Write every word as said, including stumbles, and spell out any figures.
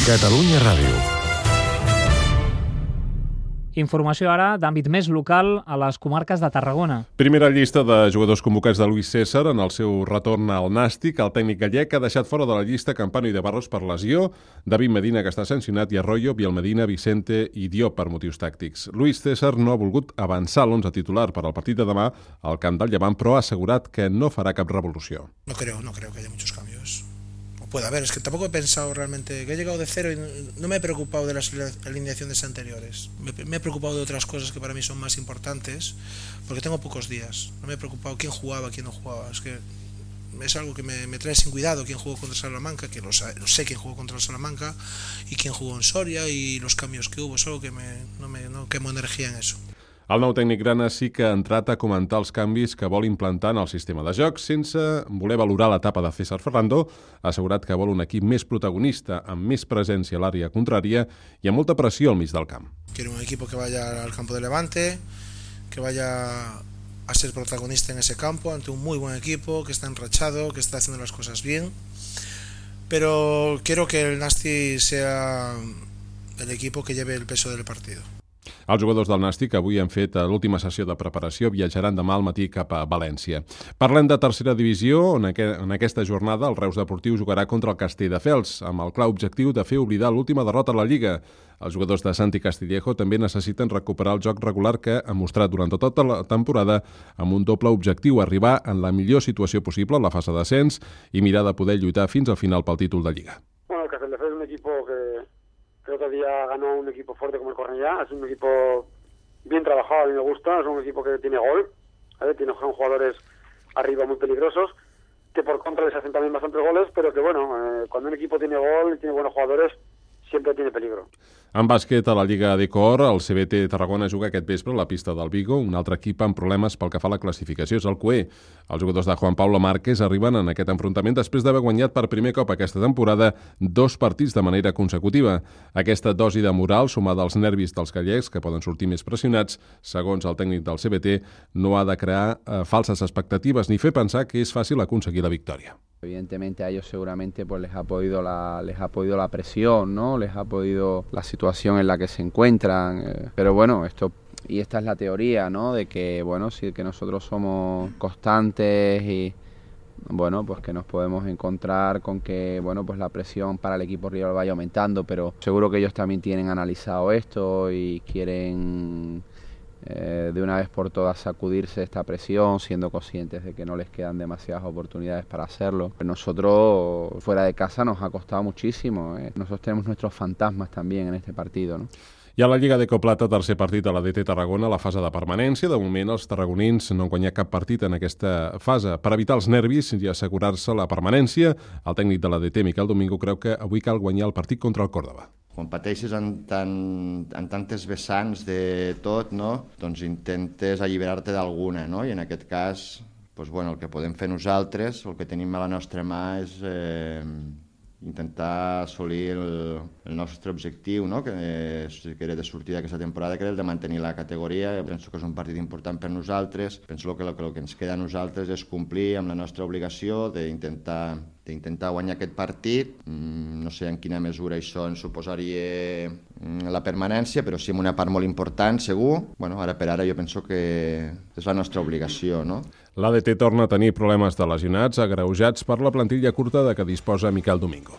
Catalunya Ràdio. Informació ara d'àmbit més local a les comarques de Tarragona. Primera llista de jugadors convocats de Luis César en el seu retorn al Nàstic. El tècnic gallec ha deixat fora de la llista Campano i de Barros per lesió, David Medina, que està sancionat, i Arroyo, Biel Medina, Vicente i Diop per motius tàctics. Luis César no ha volgut avançar l'onze titular per al partit de demà al camp del Llevant, però ha assegurat que no farà cap revolució. No creo, no creo que haya muchos cambios. Puede haber, es que tampoco he pensado realmente, que he llegado de cero y no me he preocupado de las alineaciones anteriores. Me, me he preocupado de otras cosas que para mí son más importantes, porque tengo pocos días. No me he preocupado quién jugaba, quién no jugaba. Es que es algo que me, me trae sin cuidado quién jugó contra Salamanca, que lo, lo sé quién jugó contra Salamanca y quién jugó en Soria y los cambios que hubo. Es algo que me, no, me, no quemo energía en eso. El nou tècnic grana sí que ha entrat a comentar els canvis que vol implantar en el sistema de joc, sense voler valorar l'etapa de César Ferrando. Ha assegurat que vol un equip més protagonista, amb més presència a l'àrea contrària i amb molta pressió al mig del camp. Quiero un equipo que vaya al campo de Levante, que vaya a ser protagonista en ese campo, ante un muy buen equipo, que está enrachado, que está haciendo las cosas bien. Pero quiero que el Nàstic sea el equipo que lleve el peso del partido. Els jugadors del Nàstic avui han fet l'última sessió de preparació, viatjaran demà al matí cap a València. Parlem de tercera divisió, on en aquesta jornada el Reus Deportiu jugarà contra el Castelldefels, amb el clar objectiu de fer oblidar l'última derrota a la Lliga. Els jugadors de Santi Castillejo també necessiten recuperar el joc regular que ha mostrat durant tota la temporada amb un doble objectiu, arribar en la millor situació possible a la fase d'ascens i mirar de poder lluitar fins al final pel títol de Lliga. Bueno, el Castelldefels es un equipo que el otro día ganó un equipo fuerte como el Cornellá. Es un equipo bien trabajado, a mí me gusta. Es un equipo que tiene gol, ¿vale? Tiene jugadores arriba muy peligrosos, que por contra les hacen también bastantes goles, pero que bueno, eh, cuando un equipo tiene gol y tiene buenos jugadores, siempre tiene peligro. En bàsquet, a la Lliga d'Ecor, el C B T Tarragona juga aquest vespre a la pista del Vigo. Un altre equip amb problemes pel que fa a la classificació és el C U E. Els jugadors de Juan Pablo Márquez arriben en aquest enfrontament després d'haver guanyat per primer cop aquesta temporada dos partits de manera consecutiva. Aquesta dosi de moral, sumada als nervis dels gallecs, que poden sortir més pressionats, segons el tècnic del C B T, no ha de crear eh, falses expectatives ni fer pensar que és fàcil aconseguir la victòria. Evidentemente a ellos seguramente pues les ha podido la les ha podido la presión, ¿no? Les ha podido la situación en la que se encuentran, eh, pero bueno, esto y esta es la teoría, ¿no? De que bueno, sí que nosotros somos constantes y bueno, pues que nos podemos encontrar con que bueno, pues la presión para el equipo rival vaya aumentando, pero seguro que ellos también tienen analizado esto y quieren Eh, de una vez por todas sacudirse esta presión, siendo conscientes de que no les quedan demasiadas oportunidades para hacerlo. Nosotros fuera de casa nos ha costado muchísimo, eh. Nosotros tenemos nuestros fantasmas también en este partido, ¿no? I a la Lliga d'Ecoplata, tercer partit a la D T Tarragona, la fase de permanència. De moment, els tarragonins no han guanyat cap partit en aquesta fase. Per evitar els nervis i assegurar-se la permanència, el tècnic de la D T, Miquel Domingo, creu que avui cal guanyar el partit contra el Córdoba. Quan pateixes en, tan, en tantes vessants de tot, no? Doncs intentes alliberar-te d'alguna, no? I en aquest cas, doncs, bueno, el que podem fer nosaltres, el que tenim a la nostra mà és eh, intentar assolir el, el nostre objectiu, no? que, és, que era de sortir d'aquesta temporada, que era el de mantenir la categoria. Penso que és un partit important per nosaltres. Penso que el que, el que ens queda a nosaltres és complir amb la nostra obligació d'intentar d'intentar guanyar aquest partit. No sé en quina mesura això ens suposaria la permanència, però sí en una part molt important, segur. Bueno, ara per ara jo penso que és la nostra obligació, no? L'A D T torna a tenir problemes de lesionats agreujats per la plantilla curta de què disposa Miquel Domingo.